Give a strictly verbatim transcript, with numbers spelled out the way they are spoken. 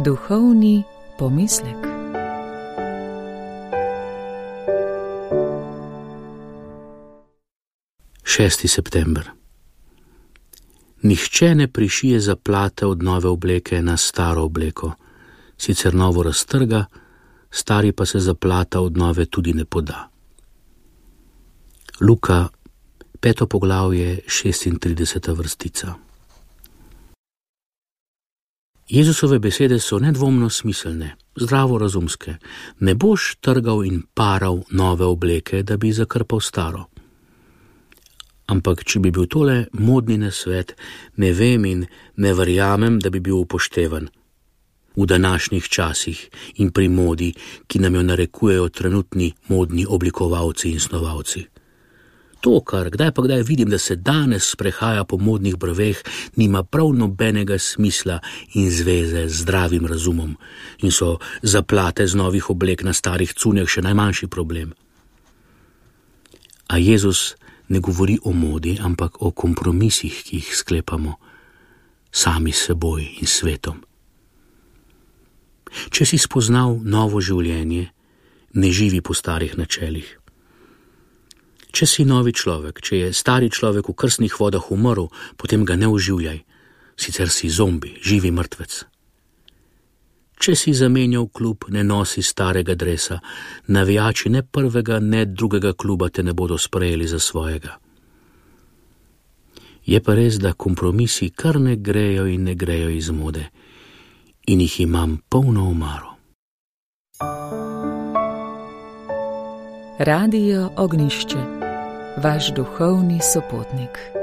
Duhovni pomislek. šesti september. Nihče ne prišije zaplate od nove obleke na staro obleko, sicer novo raztrga, stari pa se zaplata od nove tudi ne poda. Luka, peto poglavje, šestintrideseta vrstica. Jezusove besede so nedvomno smiselne, zdravorazumske. Ne boš trgal in paral nove obleke, da bi zakrpal staro. Ampak, če bi bil tole modni nasvet, ne vem in ne verjamem, da bi bil upoštevan v današnjih časih in pri modi, ki nam jo narekujejo trenutni modni oblikovalci in snovalci. To, kar kdaj pa kdaj vidim, da se danes sprehaja po modnih brveh, nima prav nobenega smisla in zveze z zdravim razumom in so zaplate z novih oblek na starih cunjah še najmanjši problem. A Jezus ne govori o modi, ampak o kompromisih, ki jih sklepamo sami s seboj in svetom. Če si spoznal novo življenje, ne živi po starih načelih. Če si novi človek, če je stari človek v krstnih vodah umrl, potem ga ne oživljaj, sicer si zombi, živi mrtvec. Če si zamenjal klub, ne nosi starega dresa, navijači ne prvega, ne drugega kluba te ne bodo sprejeli za svojega. Je pa res, da kompromisi kar ne grejo in ne grejo iz mode in jih imam polno omaro. Radio Ognjišče, vaš duhovni sopotnik.